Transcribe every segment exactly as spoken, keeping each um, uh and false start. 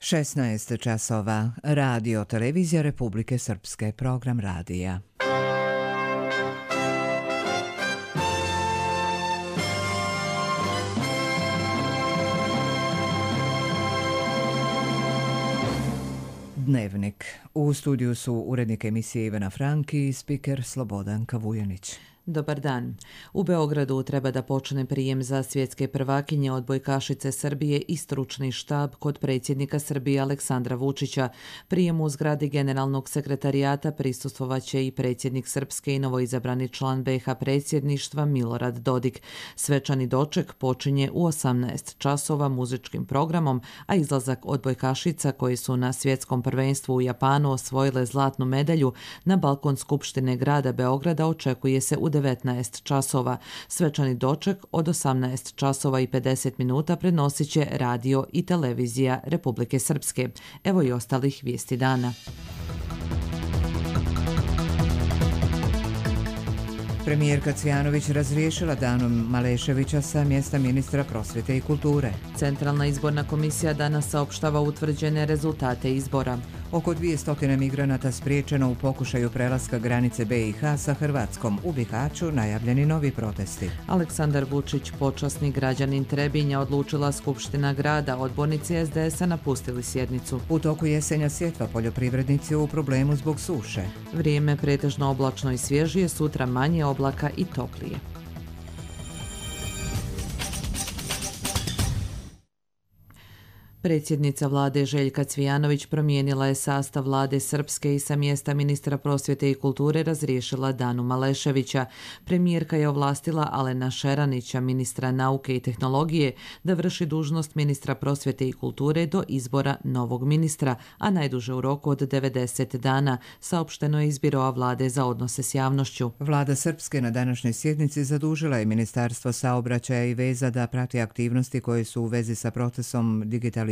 šesnaest časova. Radio Televizija Republike Srpske. Program radija. Dnevnik. U studiju su urednik emisije Ivana Franki i spiker Slobodanka Vujanić. Dobar dan. U Beogradu treba da počne prijem za svjetske prvakinje odbojkašice Srbije i stručni štab kod predsjednika Srbije Aleksandra Vučića. Prijemu u zgradi Generalnog sekretarijata prisustvovaće i predsjednik Srpske i novoizabrani član B iH predsjedništva Milorad Dodik. Svečani doček počinje u osamnaest časova muzičkim programom, a izlazak odbojkašica koji su na svjetskom prvenstvu u Japanu osvojile zlatnu medalju na balkon Skupštine grada Beograda očekuje se u devetnaest časova. Svečani doček od osamnaest časova i pedeset minuta prenosit će radio i televizija Republike Srpske. Evo i ostalih vijesti dana. Premijerka Cvjanović razriješila Danu Maleševića sa mjesta ministra prosvjete i kulture. Centralna izborna komisija danas saopštava utvrđene rezultate izbora. Oko dvjesto migranata spriječeno u pokušaju prelaska granice B iH sa Hrvatskom. U Bihaću najavljeni novi protesti. Aleksandar Vučić, počasni građanin Trebinja, odlučila Skupština grada. Odbornici es de es a napustili sjednicu. U toku jesenja sjetva poljoprivrednici u problemu zbog suše. Vrijeme pretežno oblačno i svježije, sutra manje oblaka i toplije. Predsjednica vlade Željka Cvjanović promijenila je sastav vlade Srpske i sa mjesta ministra prosvjete i kulture razriješila Danu Maleševića. Premijerka je ovlastila Alena Šeranića, ministra nauke i tehnologije, da vrši dužnost ministra prosvjete i kulture do izbora novog ministra, a najduže u roku od devedeset dana, saopšteno je iz Biroa vlade za odnose s javnošću. Vlada Srpske na današnjoj sjednici zadužila je Ministarstvo saobraćaja i veza da prati aktivnosti koje su u vezi sa procesom digitalizacije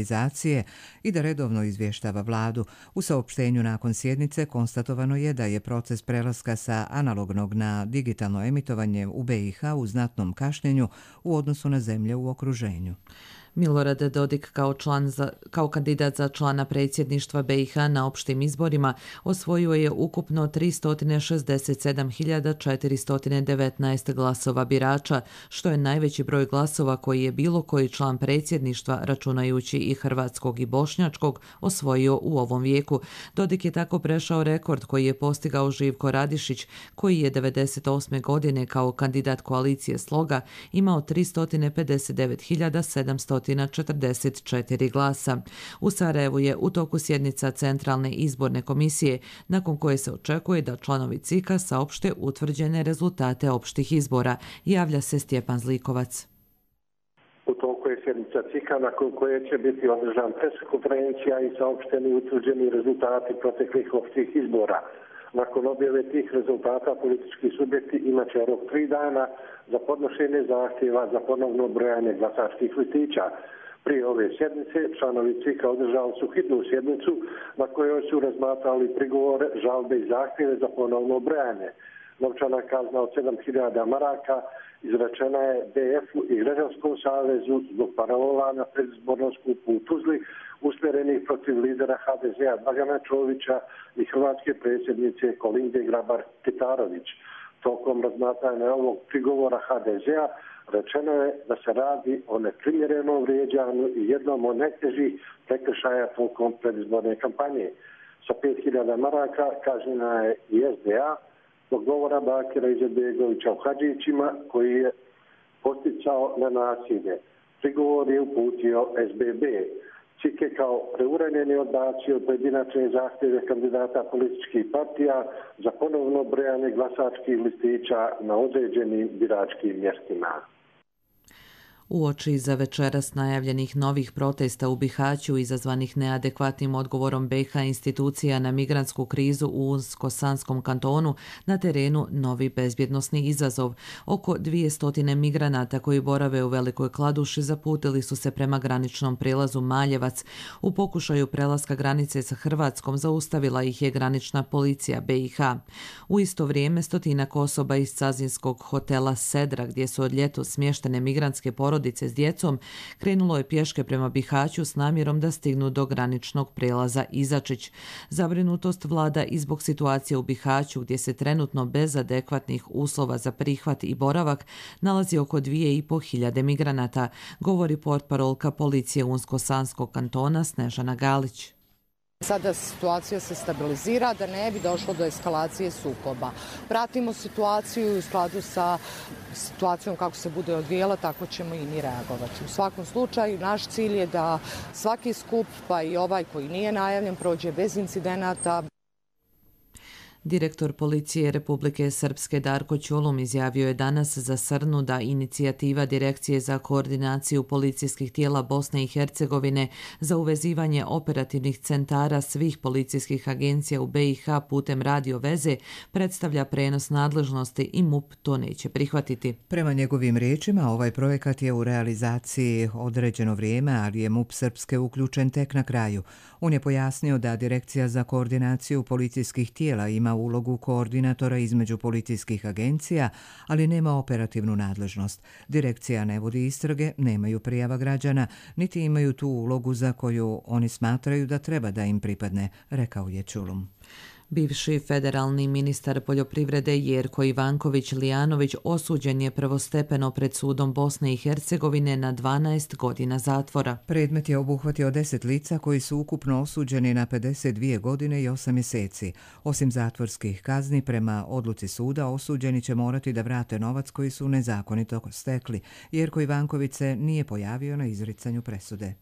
i da redovno izvještava vladu. U saopštenju nakon sjednice konstatovano je da je proces prelaska sa analognog na digitalno emitovanje u B iH u znatnom kašnjenju u odnosu na zemlje u okruženju. Milorad Dodik kao, član za, kao kandidat za člana predsjedništva B iH na opštim izborima osvojio je ukupno tristo šezdeset sedam hiljada četiristo devetnaest glasova birača, što je najveći broj glasova koji je bilo koji član predsjedništva, računajući i hrvatskog i bošnjačkog, osvojio u ovom vijeku. Dodik je tako prešao rekord koji je postigao Živko Radišić, koji je devedeset osme godine kao kandidat koalicije Sloga imao tristo pedeset devet hiljada sedamsto četrdeset četiri glasa. U Sarajevu je u toku sjednica Centralne izborne komisije, nakon koje se očekuje da članovi C I K-a saopšte utvrđene rezultate opštih izbora. Javlja se Stjepan Zlikovac. U toku je sjednica C I K-a nakon koje će biti održan preskonferencija i saopšteni utvrđeni rezultati proteklih opštih izbora. Nakon objave tih rezultata politički subjekti imat će rok tri dana za podnošenje zahtjeva za ponovno brojanje glasačkih listića. Prije ove sjednice članovi C I K-a održali su hitnu sjednicu na kojoj su razmatrali prigovore, žalbe i zahtjeve za ponovno brojanje. Novčana kazna od sedam hiljada maraka izrečena je B F-u i Građanskom savezu zbog parola na predizbornom skupu u Tuzli usmjerenih protiv lidera H D Z-a Dragana Čovića i hrvatske predsjednice Kolinde Grabar-Kitarović. Tokom razmatranja ovog prigovora H D Z-a rečeno je da se radi o neprimjerenom vrijeđanju i jednom od najtežih prekršaja tokom predizborne kampanje. Sa pet hiljada maraka kažnjena je i S D A zbog govora Bakira Izetbegovića u Hadžićima koji je posticao na nasilje. Prigovor je uputio S B B. C I K je kao preuranjeni odbacio pojedinačne zahtjeve kandidata političkih partija za ponovno brojanje glasačkih listića na određenim biračkim mjestima. Uoči za večeras najavljenih novih protesta u Bihaću izazvanih neadekvatnim odgovorom B iH institucija na migrantsku krizu u Unsko-Sanskom kantonu, na terenu novi bezbjednosni izazov. Oko dvjesto migranata koji borave u Velikoj Kladuši zaputili su se prema graničnom prijelazu Maljevac. U pokušaju prelaska granice sa Hrvatskom zaustavila ih je granična policija B iH. U isto vrijeme stotinak osoba iz cazinskog hotela Sedra, gdje su od ljetos smještene migrantske porodice, porodice s djecom krenulo je pješke prema Bihaću s namjerom da stignu do graničnog prelaza Izačić. Zabrinutost vlada i zbog situacije u Bihaću gdje se trenutno bez adekvatnih uslova za prihvat i boravak nalazi oko dvije i po hiljade migranata, govori portparolka policije Unsko-Sanskog kantona Snežana Galić. Sada situacija se stabilizira da ne bi došlo do eskalacije sukoba. Pratimo situaciju u skladu sa situacijom kako se bude odvijela, tako ćemo i mi reagovati. U svakom slučaju naš cilj je da svaki skup, pa i ovaj koji nije najavljen, prođe bez incidenata. Direktor policije Republike Srpske Darko Ćulum izjavio je danas za Srnu da inicijativa Direkcije za koordinaciju policijskih tijela Bosne i Hercegovine za uvezivanje operativnih centara svih policijskih agencija u B i H putem radio veze predstavlja prenos nadležnosti i M U P to neće prihvatiti. Prema njegovim riječima, ovaj projekat je u realizaciji određeno vrijeme, ali je M U P Srpske uključen tek na kraju. On je pojasnio da Direkcija za koordinaciju policijskih tijela ima ulogu koordinatora između policijskih agencija, ali nema operativnu nadležnost. Direkcija ne vodi istrage, nemaju prijava građana, niti imaju tu ulogu za koju oni smatraju da treba da im pripadne, rekao je Ćulum. Bivši federalni ministar poljoprivrede Jerko Ivanković-Lijanović osuđen je prvostepeno pred sudom Bosne i Hercegovine na dvanaest godina zatvora. Predmet je obuhvatio deset lica koji su ukupno osuđeni na pedeset dvije godine i osam mjeseci. Osim zatvorskih kazni, prema odluci suda osuđeni će morati da vrate novac koji su nezakonito stekli. Jerko Ivanković se nije pojavio na izricanju presude.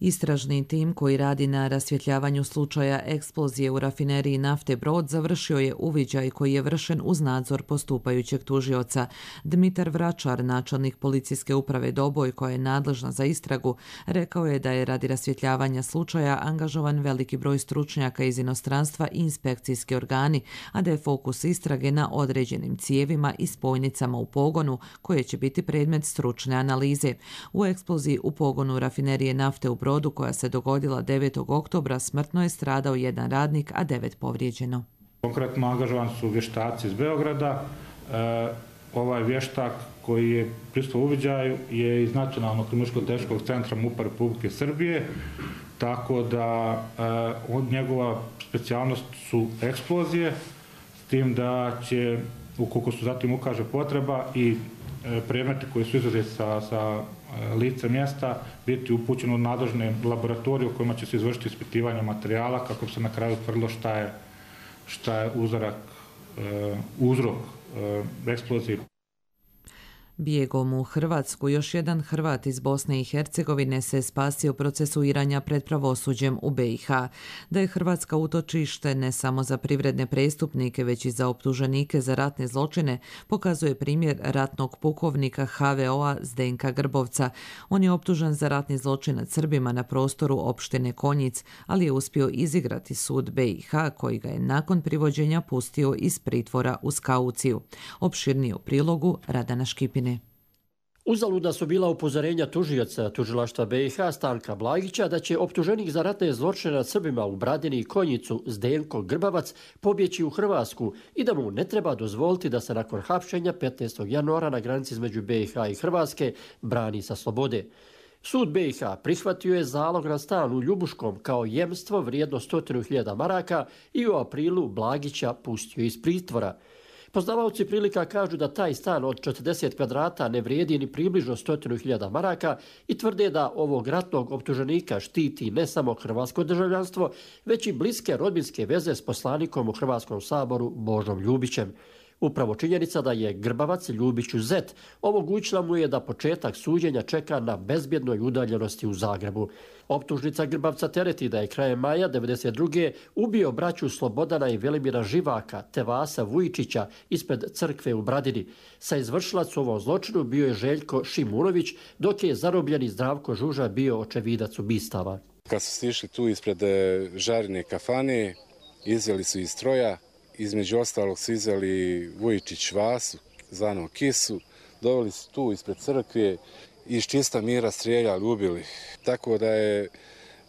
Istražni tim koji radi na rasvjetljavanju slučaja eksplozije u rafineriji nafte Brod završio je uviđaj koji je vršen uz nadzor postupajućeg tužioca. Dmitar Vračar, načelnik policijske uprave Doboj koja je nadležna za istragu, rekao je da je radi rasvjetljavanja slučaja angažovan veliki broj stručnjaka iz inostranstva i inspekcijski organi, a da je fokus istrage na određenim cijevima i spojnicama u pogonu koje će biti predmet stručne analize. U eksploziji u pogonu rafinerije nafte u Brodu koja se dogodila devetog oktobra smrtno je stradao jedan radnik, a devet povrijeđeno. Konkretno angažovan su vještaci iz Beograda. E, ovaj vještak koji je prisustvovao uviđaju je iz Nacionalnog kriminalističko-tehničkog centra M U P-a Republike Srbije, tako da e, od njegova specijalnost su eksplozije, s tim da će, ukoliko su zatim ukaže potreba, i e, predmeti koji su izuzeti sa, sa lice mjesta biti upućeno u nadležne laboratorije u kojima će se izvršiti ispitivanje materijala kako bi se na kraju utvrdilo šta je, šta je uzorak, uzrok eksplozije. Bijegom u Hrvatsku još jedan Hrvat iz Bosne i Hercegovine se spasio procesuiranja pred pravosuđem u B i H. Da je Hrvatska utočište ne samo za privredne prestupnike, već i za optuženike za ratne zločine, pokazuje primjer ratnog pukovnika H V O-a Zdenka Grbovca. On je optužen za ratni zločin nad Srbima na prostoru opštine Konjic, ali je uspio izigrati sud B i H koji ga je nakon privođenja pustio iz pritvora uz kauciju. Opširnije u prilogu Radana Škipin. Uzaludna su bila upozorenja tužioca tužilaštva B i H Stanka Blagića da će optuženik za ratne zločine nad Srbima u Bradini i Konjicu Zdenko Grbavac pobjeći u Hrvatsku i da mu ne treba dozvoliti da se nakon hapšenja petnaestog januara na granici između B i H i Hrvatske brani sa slobode. Sud B i H prihvatio je zalog na stan u Ljubuškom kao jemstvo vrijedno sto hiljada maraka i u aprilu Blagića pustio iz pritvora. Poznavaoci prilika kažu da taj stan od četrdeset kvadrata ne vrijedi ni približno sto hiljada maraka i tvrde da ovog ratnog optuženika štiti ne samo hrvatsko državljanstvo, već i bliske rodbinske veze s poslanikom u Hrvatskom saboru Božom Ljubićem. Upravo činjenica da je Grbavac Ljubiću zet omogućila mu je da početak suđenja čeka na bezbjednoj udaljenosti u Zagrebu. Optužnica Grbavca tereti da je krajem maja devedeset druge ubio braću Slobodana i Velimira Živaka te Vasa Vujičića ispred crkve u Bradini. Sa izvršilac u ovom zločinu bio je Željko Šimunović, dok je zarobljeni Zdravko Žuža bio očevidac ubistava. Kad su stišli tu ispred Žarine kafane, izveli su iz stroja. Između ostalog su izveli Vujičić Vasu, zvanog Kisu, doveli su tu ispred crkve i iz čista mira strijeljali, ubili. Tako da je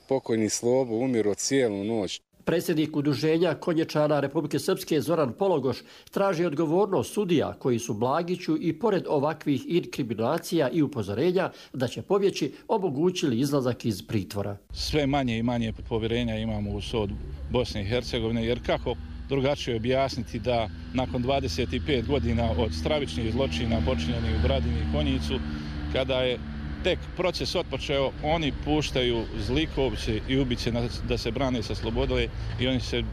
pokojni Slobo umirao cijelu noć. Predsjednik udruženja konječara Republike Srpske Zoran Pologoš traži odgovornost sudija koji su Blagiću i pored ovakvih inkriminacija i upozorenja da će pobjeći omogućili izlazak iz pritvora. Sve manje i manje povjerenja imamo u sud Bosne i Hercegovine, jer kako drugačije objasniti da nakon dvadeset pet godina od stravičnih zločina počinjenih u Bradini i Konjicu, kada je tek proces otpočeo, oni puštaju zlikovce i ubice da se brane sa slobode i oni se,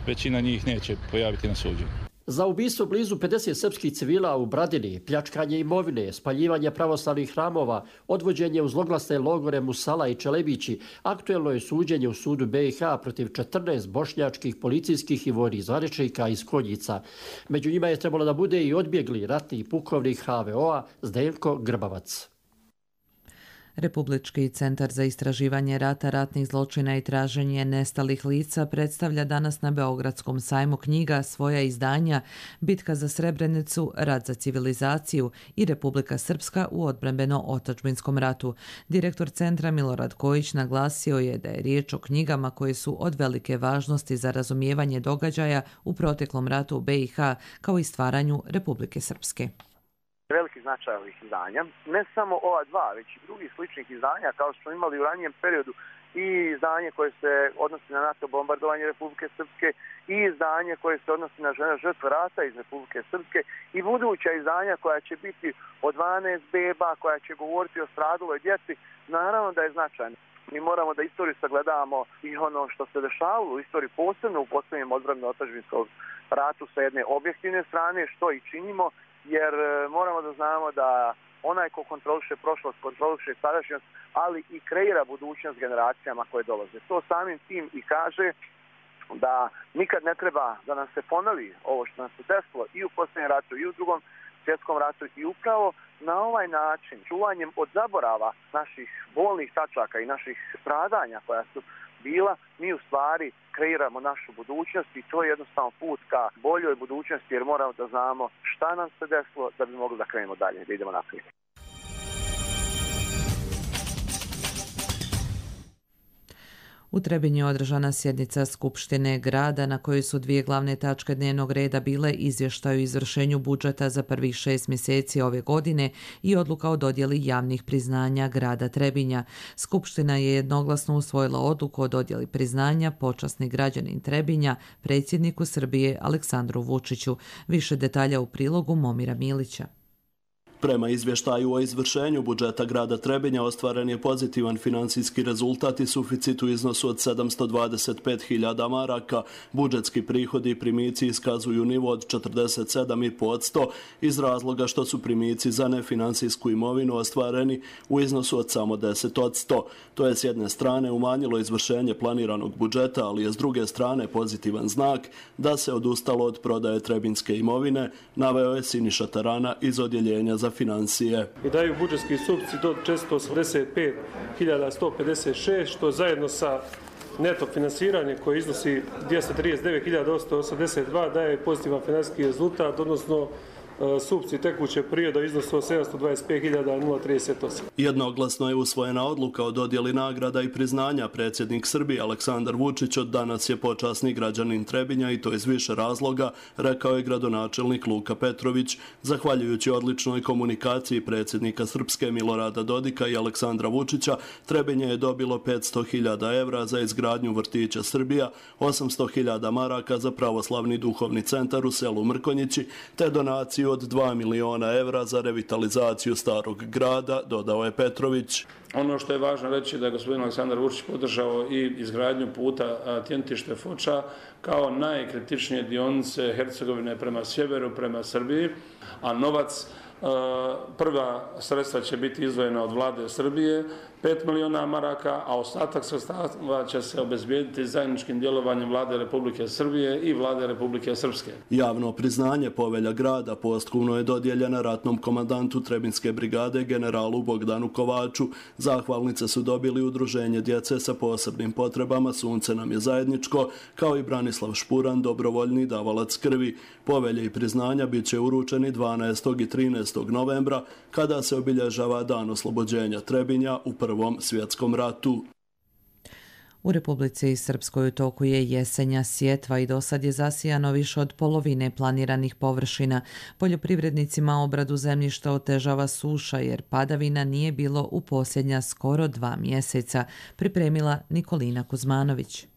većina njih neće pojaviti na suđenju. Za ubistvo blizu pedeset srpskih civila u Bradini, pljačkanje imovine, spaljivanje pravoslavnih hramova, odvođenje u zloglasne logore Musala i Čelebići, aktuelno je suđenje u sudu B i H protiv četrnaest bošnjačkih policijskih i vojnih zvaničnika iz Konjica. Među njima je trebalo da bude i odbjegli ratni pukovnik H V O-a Zdenko Grbavac. Republički centar za istraživanje rata, ratnih zločina i traženje nestalih lica predstavlja danas na Beogradskom sajmu knjiga svoja izdanja Bitka za Srebrenicu, Rat za civilizaciju i Republika Srpska u odbrambeno-otadžbinskom ratu. Direktor centra Milorad Kojić naglasio je da je riječ o knjigama koje su od velike važnosti za razumijevanje događaja u proteklom ratu u B i H kao i stvaranju Republike Srpske. Veliki značaj ovih izdanja, ne samo ova dva, već i drugih sličnih izdanja, kao što smo imali u ranijem periodu i izdanje koje se odnosi na NATO bombardovanje Republike Srpske i izdanje koje se odnosi na žene žrtve rata iz Republike Srpske i buduća izdanja koja će biti od dvanaest beba, koja će govoriti o straduloj djeci, naravno da je značajno. Mi moramo da istoriju sagledavamo i ono što se dešavalo u istoriji, posebno u posljednjem odbrambeno-otadžbinskom ratu sa jedne objektivne strane, što i činimo, jer moramo da znamo da onaj ko kontroliše prošlost, kontroliše sadašnjost, ali i kreira budućnost generacijama koje dolaze. To samim tim i kaže da nikad ne treba da nam se ponovi ovo što nam se desilo i u posljednjem ratu i u drugom svjetskom ratu i upravo na ovaj način, čuvanjem od zaborava naših bolnih tačaka i naših stradanja koja su bila, mi u stvari kreiramo našu budućnost i to je jednostavno put ka boljoj budućnosti jer moramo da znamo šta nam se desilo da bi mogli da krenemo dalje, da idemo naprijed. U Trebinju je održana sjednica Skupštine grada na kojoj su dvije glavne tačke dnevnog reda bile izvještaj o izvršenju budžeta za prvih šest mjeseci ove godine i odluka o dodjeli javnih priznanja grada Trebinja. Skupština je jednoglasno usvojila odluku o dodjeli priznanja počasni građanin Trebinja predsjedniku Srbije Aleksandru Vučiću. Više detalja u prilogu Momira Milića. Prema izvještaju o izvršenju budžeta grada Trebinja ostvaren je pozitivan financijski rezultat i suficit u iznosu od sedamsto dvadeset pet hiljada maraka. Budžetski prihodi i primici iskazuju nivo od četrdeset sedam zarez pet posto iz razloga što su primici za nefinancijsku imovinu ostvareni u iznosu od samo deset posto. To je s jedne strane umanjilo izvršenje planiranog budžeta, ali je s druge strane pozitivan znak da se odustalo od prodaje trebinjske imovine, naveo je Siniša Tarana iz odjeljenja za financije. I daju budžetski suficit od četiristo osamdeset pet hiljada sto pedeset šest, što zajedno sa neto finansiranje koje iznosi dvjesto trideset devet hiljada osamsto osamdeset dva daje pozitivan financijski rezultat, odnosno suficit tekućeg perioda iznosu od sedamsto dvadeset pet hiljada trideset osam. Jednoglasno je usvojena odluka o dodjeli nagrada i priznanja. Predsjednik Srbije Aleksandar Vučić od danas je počasni građanin Trebinja i to iz više razloga, rekao je gradonačelnik Luka Petrović. Zahvaljujući odličnoj komunikaciji predsjednika Srpske Milorada Dodika i Aleksandra Vučića, Trebinje je dobilo petsto hiljada evra za izgradnju vrtića Srbija, osamsto hiljada maraka za pravoslavni duhovni centar u selu Mrkonjići, te donaciju od dva miliona evra za revitalizaciju starog grada, dodao je Petrović. Ono što je važno reći da je gospodin Aleksandar Vučić podržao i izgradnju puta Tjentište-Foča kao najkritičnije dionice Hercegovine prema sjeveru, prema Srbiji, a novac, prva sredstva će biti izdvojena od vlade Srbije, pet miliona maraka, a ostatak sredstava će se obezbijediti zajedničkim djelovanjem vlade Republike Srbije i vlade Republike Srpske. Javno priznanje povelja grada posthumno je dodijeljena ratnom komandantu Trebinjske brigade generalu Bogdanu Kovaču. Zahvalnice su dobili udruženje djece sa posebnim potrebama Sunce nam je zajedničko, kao i Branislav Špuran, dobrovoljni davalac krvi. Povelje i priznanja bit će uručeni dvanaestog i trinaestog novembra, kada se obilježava dan oslobođenja Trebinja u Prvom svjetskom ratu. U Republici Srpskoj u toku je jesenja sjetva i dosad je zasijano više od polovine planiranih površina. Poljoprivrednicima obradu zemljišta otežava suša jer padavina nije bilo u posljednja skoro dva mjeseca, pripremila Nikolina Kuzmanović.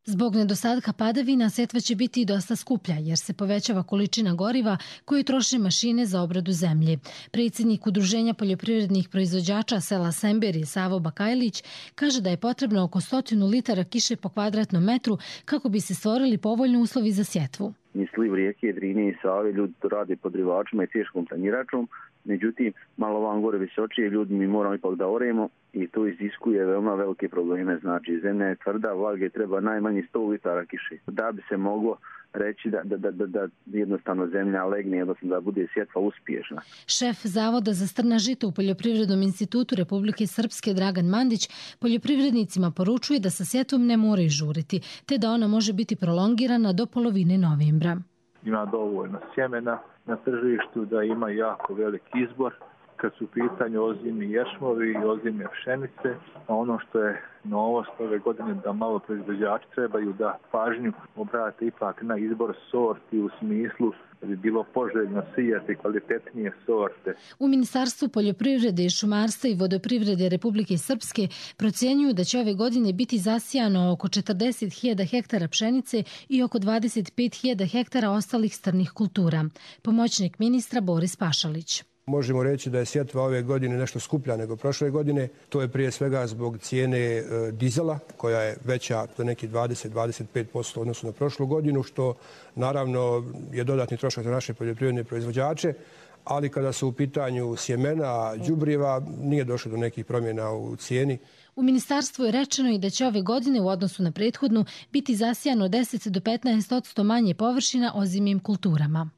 Zbog nedostatka padavina setva će biti i dosta skuplja jer se povećava količina goriva koju troše mašine za obradu zemlje. Predsjednik Udruženja poljoprivrednih proizvođača sela Semberi Savo Bakajlić kaže da je potrebno oko stotinu litara kiše po kvadratnom metru kako bi se stvorili povoljni uslovi za sjetvu. Niz sliv rijeke Drine i Save ljudi to rade podrivačima i teškom tanjiračom. Međutim, malo vam gore visočije ljudi mi moramo ipak da oremo i to iziskuje veoma velike probleme. Znači, zemlja je tvrda, vlage treba najmanje sto litara kiše. Da bi se moglo reći da, da, da, da jednostavno zemlja legne, odnosno da bude sjetva uspješna. Šef Zavoda za strna žita u Poljoprivrednom institutu Republike Srpske Dragan Mandić poljoprivrednicima poručuje da sa sjetvom ne moraju žuriti, te da ona može biti prolongirana do polovine novembra. Ima dovoljno sjemena na tržištu, da ima jako velik izbor kad su u pitanju ozimni ješmovi i ozimne pšenice, a ono što je novost ove godine da malo proizvođači trebaju da pažnju obrate ipak na izbor sorti u smislu da bi bilo poželjno sijati kvalitetnije sorte. U Ministarstvu poljoprivrede, šumarstva i vodoprivrede Republike Srpske procjenjuju da će ove godine biti zasijano oko četrdeset hiljada hektara pšenice i oko dvadeset pet hiljada hektara ostalih strnih kultura. Pomoćnik ministra Boris Pašalić. Možemo reći da je sjetva ove godine nešto skuplja nego prošle godine. To je prije svega zbog cijene e, dizela koja je veća za neki dvadeset do dvadeset pet posto odnosno na prošlu godinu, što naravno je dodatni trošak za naše poljoprivredne proizvođače, ali kada su u pitanju sjemena, đubriva, nije došlo do nekih promjena u cijeni. U ministarstvu je rečeno i da će ove godine u odnosu na prethodnu biti zasijano deset do petnaest posto manje površina ozimim kulturama.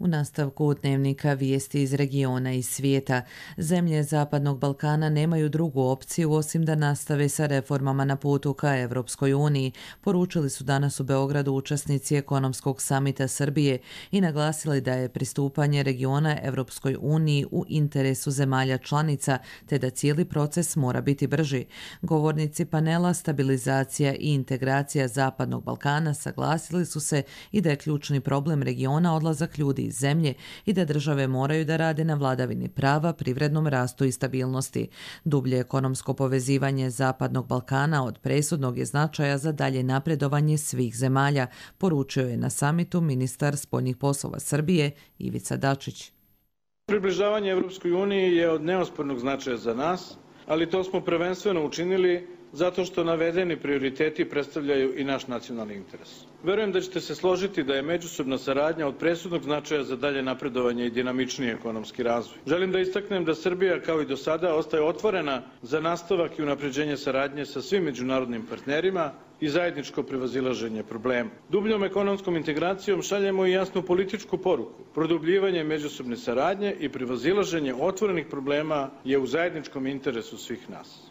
U nastavku dnevnika vijesti iz regiona i svijeta. Zemlje Zapadnog Balkana nemaju drugu opciju osim da nastave sa reformama na putu ka Evropskoj uniji, poručili su danas u Beogradu učesnici ekonomskog samita Srbije i naglasili da je pristupanje regiona Evropskoj uniji u interesu zemalja članica, te da cijeli proces mora biti brži. Govornici panela Stabilizacija i integracija Zapadnog Balkana saglasili su se i da je ključni problem regiona odlazak ljudi iz zemlje i da države moraju da rade na vladavini prava, privrednom rastu i stabilnosti. Dublje ekonomsko povezivanje Zapadnog Balkana od presudnog je značaja za dalje napredovanje svih zemalja, poručio je na samitu ministar spoljnih poslova Srbije Ivica Dačić. Približavanje Evropskoj uniji je od neospornog značaja za nas, ali to smo prvenstveno učinili zato što navedeni prioriteti predstavljaju i naš nacionalni interes. Verujem da ćete se složiti da je međusobna saradnja od presudnog značaja za dalje napredovanje i dinamičniji ekonomski razvoj. Želim da istaknem da Srbija, kao i do sada, ostaje otvorena za nastavak i unapređenje saradnje sa svim međunarodnim partnerima i zajedničko prevazilaženje problema. Dubljom ekonomskom integracijom šaljemo i jasnu političku poruku. Produbljivanje međusobne saradnje i prevazilaženje otvorenih problema je u zajedničkom interesu svih nas.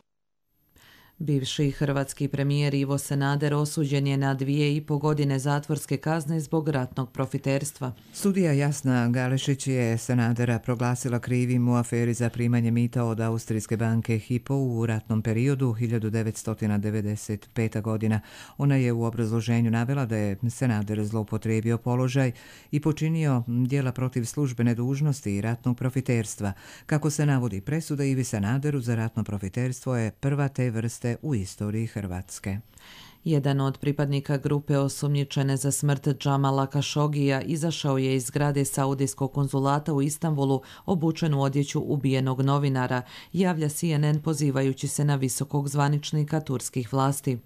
Bivši hrvatski premijer Ivo Sanader osuđen je na dvije i po godine zatvorske kazne zbog ratnog profiterstva. Sudija Jasna Galešić je Sanadera proglasila krivim u aferi za primanje mita od austrijske banke Hypo u ratnom periodu hiljadu devetsto devedeset peta. godina. Ona je u obrazloženju navela da je Sanader zloupotrijebio položaj i počinio djela protiv službene dužnosti i ratnog profiterstva. Kako se navodi, presuda Ivi Sanaderu za ratno profiterstvo je prva te vrste u istoriji Hrvatske. Jedan od pripadnika grupe osumnjičene za smrt Džamala Kašogija izašao je iz zgrade Saudijskog konzulata u Istanbulu obučen u odjeću ubijenog novinara, javlja C N N pozivajući se na visokog zvaničnika turskih vlasti.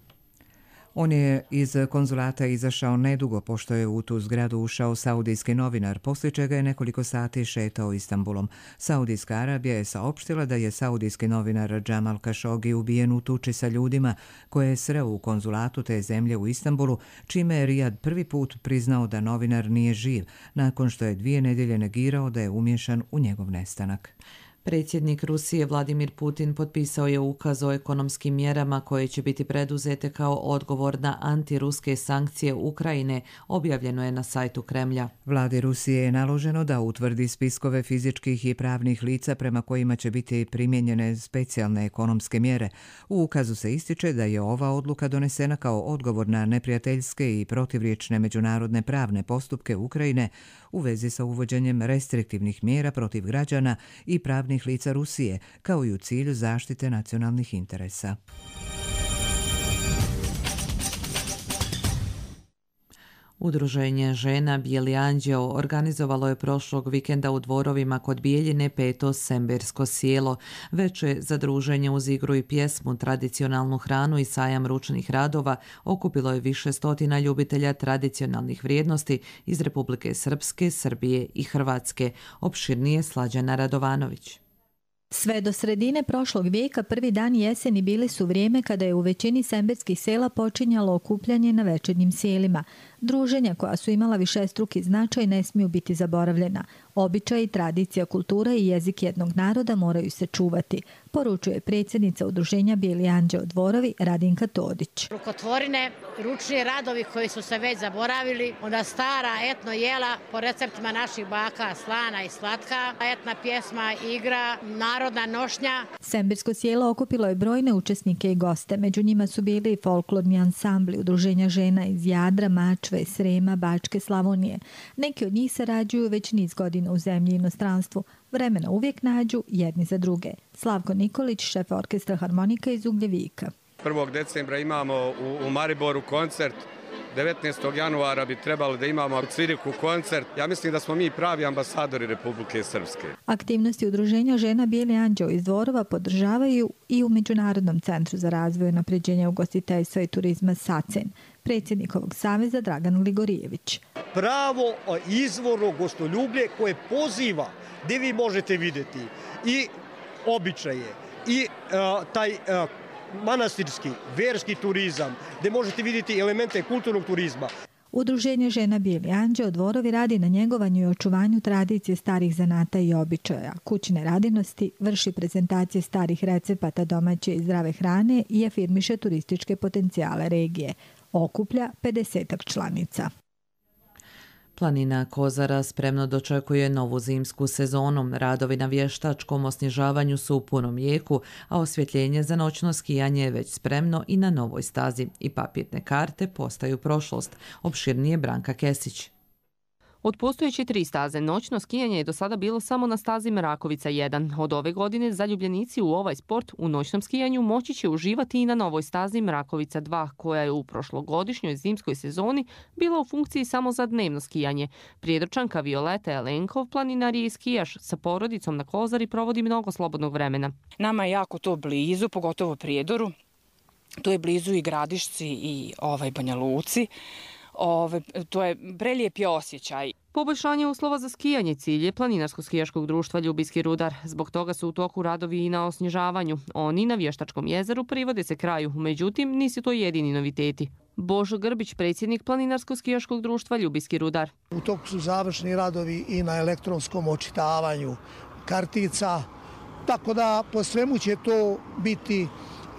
On je iz konzulata izašao nedugo pošto je u tu zgradu ušao saudijski novinar, poslije čega je nekoliko sati šetao Istanbulom. Saudijska Arabija je saopštila da je saudijski novinar Džamal Kašogi ubijen u tuči sa ljudima koje je sreo u konzulatu te zemlje u Istanbulu, čime je Rijad prvi put priznao da novinar nije živ, nakon što je dvije nedjelje negirao da je umiješan u njegov nestanak. Predsjednik Rusije Vladimir Putin potpisao je ukaz o ekonomskim mjerama koje će biti preduzete kao odgovor na antiruske sankcije Ukrajine, objavljeno je na sajtu Kremlja. Vladi Rusije je naloženo da utvrdi spiskove fizičkih i pravnih lica prema kojima će biti primijenjene specijalne ekonomske mjere. U ukazu se ističe da je ova odluka donesena kao odgovor na neprijateljske i protivriječne međunarodne pravne postupke Ukrajine u vezi sa uvođenjem restriktivnih mjera protiv građana i pravnih lica Rusije, kao i u cilju zaštite nacionalnih interesa. Udruženje žena Bijeli anđeo organizovalo je prošlog vikenda u Dvorovima kod Bijeljine peto sembersko sjelo. Veće zadruženje uz igru i pjesmu, tradicionalnu hranu i sajam ručnih radova okupilo je više stotina ljubitelja tradicionalnih vrijednosti iz Republike Srpske, Srbije i Hrvatske. Opširnije Slađana Radovanović. Sve do sredine prošlog vijeka prvi dan jeseni bili su vrijeme kada je u većini semberskih sela počinjalo okupljanje na večernjim sjelima. Druženja koja su imala višestruki značaj ne smiju biti zaboravljena. Običaji, tradicija, kultura i jezik jednog naroda moraju se čuvati, poručuje predsjednica Udruženja Bijeli anđeo Dvorovi Radinka Todić. Rukotvorine, ručni radovi koji su se već zaboravili, onda stara etno jela po receptima naših baka, slana i slatka, etna pjesma, igra, narodna nošnja. Sembersko sjelo okupilo je brojne učesnike i goste. Među njima su bili i folklorni ansambli Udruženja žena iz Jadra, Mačve, Srema, Bačke, Slavonije. Neki od njih sarađuju već niz godina u zemlji i inostranstvu. Vremena uvijek nađu jedni za druge. Slavko Nikolić, šef orkestra harmonika iz Ugljevika. prvog decembra imamo u, u Mariboru koncert. devetnaestog januara bi trebalo da imamo u Cviriku koncert. Ja mislim da smo mi pravi ambasadori Republike Srpske. Aktivnosti Udruženja žena Bijeli anđeo iz Dvorova podržavaju i u Međunarodnom centru za razvoj i unapređenje ugostiteljstva i turizma SACEN. Predsjednik ovog saveza Dragan Ligorijević. Pravo izvorno gostoljublje koje poziva, gdje vi možete vidjeti i običaje i uh, taj uh, manastirski, verski turizam, gdje možete vidjeti elemente kulturnog turizma. Udruženje žena Bijeli anđeo Dvorovi radi na njegovanju i očuvanju tradicije starih zanata i običaja, kućne radinosti, vrši prezentacije starih recepata domaće i zdrave hrane i afirmiše turističke potencijale regije. Okuplja pedesetak članica. Planina Kozara spremno dočekuje novu zimsku sezonu. Radovi na vještačkom osnježavanju su u punom jeku, a osvjetljenje za noćno skijanje je već spremno i na novoj stazi. I papirne karte postaju prošlost. Opširnije Branka Kesić. Od postojeće tri staze, noćno skijanje je do sada bilo samo na stazi Mrakovica jedan. Od ove godine zaljubljenici u ovaj sport u noćnom skijanju moći će uživati i na novoj stazi Mrakovica dva, koja je u prošlogodišnjoj zimskoj sezoni bila u funkciji samo za dnevno skijanje. Prijedorčanka Violeta Elenkov, planinar i skijaš, sa porodicom na Kozari provodi mnogo slobodnog vremena. Nama je jako to blizu, pogotovo Prijedoru. To je blizu i Gradišci i ovaj Banja Luci. Ove, to je prelijepi osjećaj. Poboljšanje uslova za skijanje cilj je Planinarsko-skijaškog društva Ljubijski rudar. Zbog toga su u toku radovi i na osnježavanju. Oni na Vještačkom jezeru privode se kraju, međutim nisu to jedini noviteti. Božo Grbić, predsjednik Planinarsko-skijaškog društva Ljubijski rudar. U toku su završni radovi i na elektronskom očitavanju kartica, tako da po svemu će to biti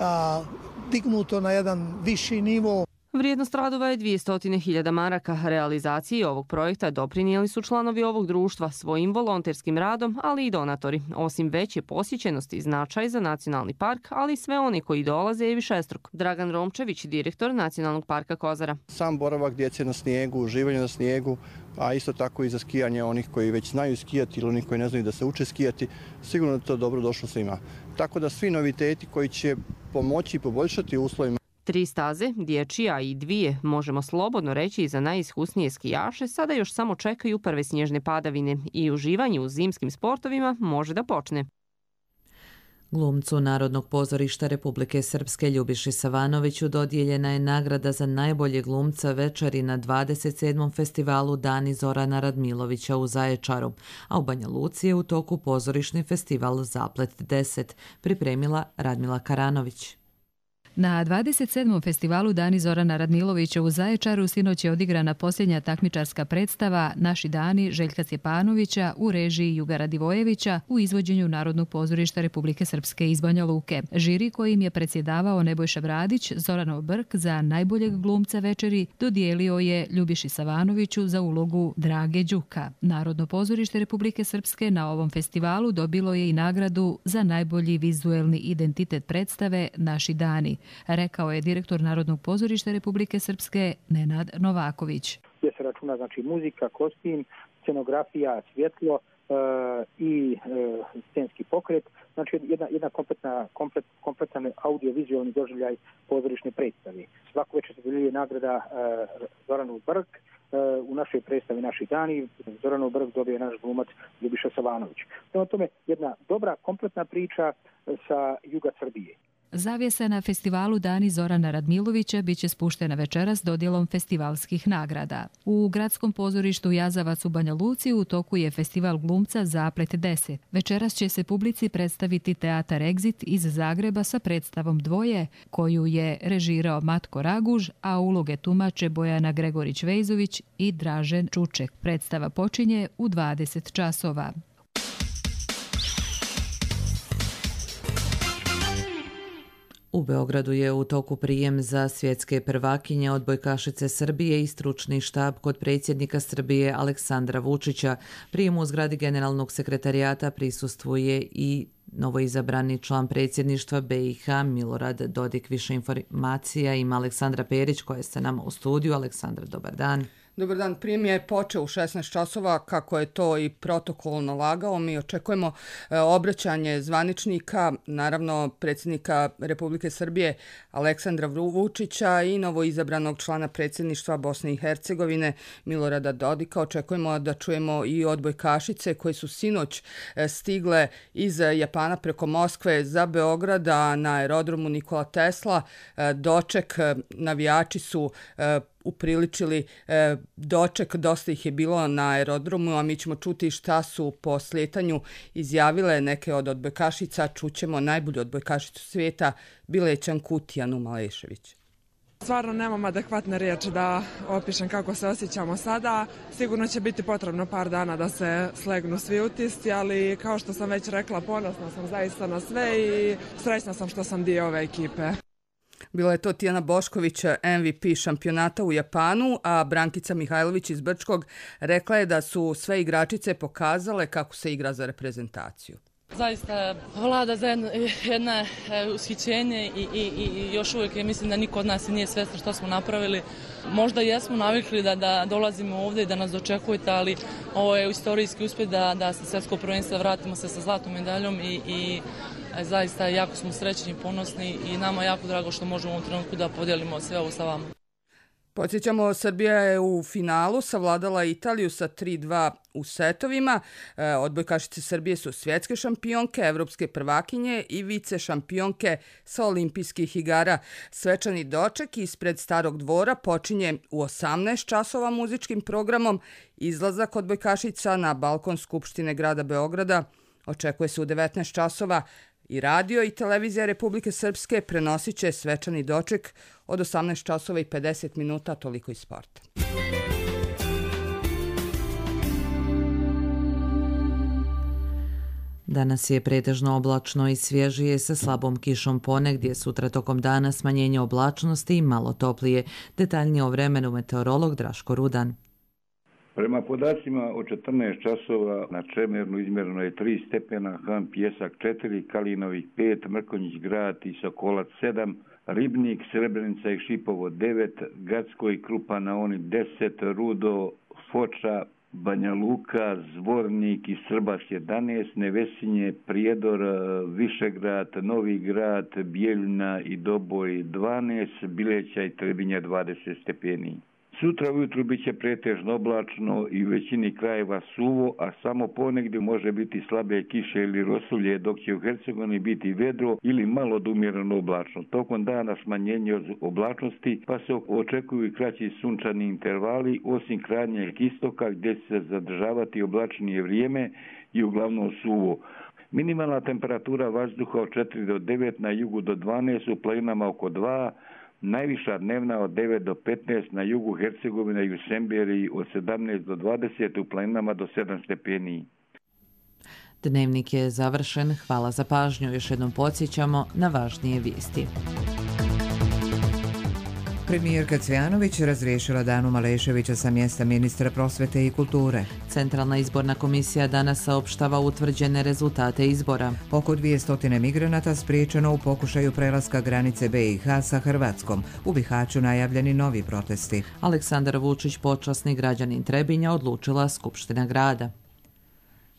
a, dignuto na jedan viši nivo. Vrijednost radova je dvjesto hiljada maraka. Realizaciji ovog projekta doprinijeli su članovi ovog društva svojim volonterskim radom, ali i donatori. Osim veće posjećenosti, značaj za nacionalni park, ali i sve oni koji dolaze je višestruk. Dragan Romčević, direktor Nacionalnog parka Kozara. Sam boravak djece na snijegu, uživanje na snijegu, a isto tako i za skijanje onih koji već znaju skijati ili onih koji ne znaju da se uče skijati, sigurno da to dobro došlo svima. Tako da svi noviteti koji će pomoći i poboljšati uslovima. Tri staze, dječija i dvije, možemo slobodno reći i za najiskusnije skijaše, sada još samo čekaju prve snježne padavine i uživanje u zimskim sportovima može da počne. Glumcu Narodnog pozorišta Republike Srpske Ljubiši Savanoviću dodijeljena je nagrada za najbolje glumca večeri na dvadeset sedmom festivalu Dani Zorana Radmilovića u Zaječaru, a u Banja Luci je u toku pozorišni festival Zaplet deset, pripremila Radmila Karanović. Na dvadeset sedmom festivalu Dani Zorana Radmilovića u Zaječaru sinoć je odigrana posljednja takmičarska predstava Naši dani Željka Stjepanovića u režiji Juga Radivojevića u izvođenju Narodnog pozorišta Republike Srpske iz Banja Luke. Žiri kojim je predsjedavao Nebojša Bradić, Zoranov Brk za najboljeg glumca večeri dodijelio je Ljubiši Savanoviću za ulogu Drage Đuka. Narodno pozorište Republike Srpske na ovom festivalu dobilo je i nagradu za najbolji vizuelni identitet predstave Naši dani, rekao je direktor Narodnog pozorišta Republike Srpske Nenad Novaković. Gdje se računa znači muzika, kostim, scenografija, svjetlo e, i e, scenski pokret, znači jedna, jedna kompletna, komplet, kompletan audio-vizualni doživljaj pozorišne predstave. Svako večer se dodjeljuje nagrada e, Zoranov Brk, e, u našoj predstavi Naši dani Zoranov Brk dobije naš glumac Ljubiša Savanović. Prema tome jedna dobra, kompletna priča sa juga Srbije. Zavjesa na festivalu Dani Zorana Radmilovića biće spuštena večeras dodjelom festivalskih nagrada. U gradskom pozorištu Jazavac u Banja Luci u toku je festival glumca Zaplet deset. Večeras će se publici predstaviti teatar Exit iz Zagreba sa predstavom Dvoje, koju je režirao Matko Raguž, a uloge tumače Bojana Gregorić-Vejzović i Dražen Čuček. Predstava počinje u dvadeset časova. U Beogradu je u toku prijem za svjetske prvakinje odbojkašice Srbije i stručni štab kod predsjednika Srbije Aleksandra Vučića. Prijemu u zgradi generalnog sekretarijata prisustvuje i novoizabrani član predsjedništva be i ha Milorad Dodik. Više informacija ima Aleksandra Perić koja je sa nama u studiju. Aleksandra, dobar dan. Dobar dan, prijem je počeo u šesnaest časova, kako je to i protokol nalagao. Mi očekujemo e, obraćanje zvaničnika, naravno predsjednika Republike Srbije Aleksandra Vučića i novoizabranog člana predsjedništva Bosne i Hercegovine Milorada Dodika. Očekujemo da čujemo i odbojkašice koje su sinoć e, stigle iz Japana preko Moskve za Beograda na aerodromu Nikola Tesla. E, doček e, navijači su e, upriličili e, doček, dosta ih je bilo na aerodromu, a mi ćemo čuti šta su po slijetanju izjavile neke od odbojkašica. Čućemo najbolju odbojkašicu svijeta, Bilećan Kutijanu Malešević. Stvarno nemam adekvatne riječi da opišem kako se osjećamo sada. Sigurno će biti potrebno par dana da se slegnu svi utisci, ali kao što sam već rekla, ponosna sam zaista na sve i srećna sam što sam dio ove ekipe. Bila je to Tijana Bošković, em vi pi šampionata u Japanu, a Brankica Mihajlović iz Brčkog rekla je da su sve igračice pokazale kako se igra za reprezentaciju. Zaista vlada za jedno, jedno ushićenje i, i, i još uvijek je, mislim da niko od nas nije svjestan što smo napravili. Možda jesmo navikli da, da dolazimo ovdje i da nas dočekujete, ali ovo je istorijski uspjeh da, da se svjetsko prvenstvo vratimo se sa zlatnom medaljom i, i zaista jako smo srećni i ponosni i nama jako drago što možemo u ovom trenutku da podijelimo sve ovo sa vama. Podsjećamo, Srbija je u finalu savladala Italiju sa tri dva u setovima. E, odbojkašice Srbije su svjetske šampionke, evropske prvakinje i vice šampionke sa olimpijskih igara. Svečani doček ispred Starog dvora počinje u osamnaest časova muzičkim programom. Izlazak odbojkašica na balkon Skupštine grada Beograda očekuje se u devetnaest časova. I radio i televizija Republike Srpske prenosit će svečani doček od osamnaest časova i pedeset minuta, toliko iz sporta. Danas je pretežno oblačno i svježije sa slabom kišom ponegdje, sutra tokom dana smanjenje oblačnosti i malo toplije. Detaljnije o vremenu meteorolog Draško Rudan. Prema podacima od četrnaest časova na Čemernu izmjereno je tri stepena, Han Pjesak četiri, Kalinovih pet, Mrkonjić grad i Sokolac sedam, Ribnik, Srebrenica i Šipovo devet, Gacko i Krupa na oni deset, Rudo, Foča, Banja Luka, Zvornik i Srbas jedanaest, Nevesinje, Prijedor, Višegrad, Novi grad, Bijeljina i Doboj dvanaest, Bileća i Trebinja dvadeset stepeni. Sutra ujutru bit će pretežno oblačno i u većini krajeva suvo, a samo ponegdje može biti slabe kiše ili rosulje, dok će u Hercegovini biti vedro ili malo od umjereno oblačno. Tokom dana smanjenje od oblačnosti, pa se očekuju i kraći sunčani intervali, osim krajnjeg istoka gdje će se zadržavati oblačnije vrijeme i uglavnom suvo. Minimalna temperatura vazduha od četiri do devet, na jugu do dvanaest, u planinama oko dva, najviša dnevna od devet do petnaest, na jugu Hercegovine i u Semberiji od sedamnaest do dvadeset, u planinama do sedam stepeni. Dnevnik je završen. Hvala za pažnju. Još jednom podsjećamo na važnije vijesti. Premijerka Cvjanović razriješila Danu Maleševića sa mjesta ministra prosvete i kulture. Centralna izborna komisija danas saopštava utvrđene rezultate izbora. Oko dvjesto migranata spriječeno u pokušaju prelaska granice B i H sa Hrvatskom. U Bihaću najavljeni novi protesti. Aleksandar Vučić, počasni građanin Trebinja, odlučila Skupština grada.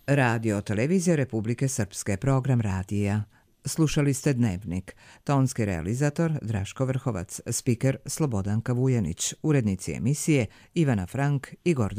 Radio televizija Republike Srpske, program radija. Slušali ste Dnevnik. Tonski realizator Draško Vrhovac, spiker Slobodanka Vujanić, urednici emisije Ivana Frank i Gordan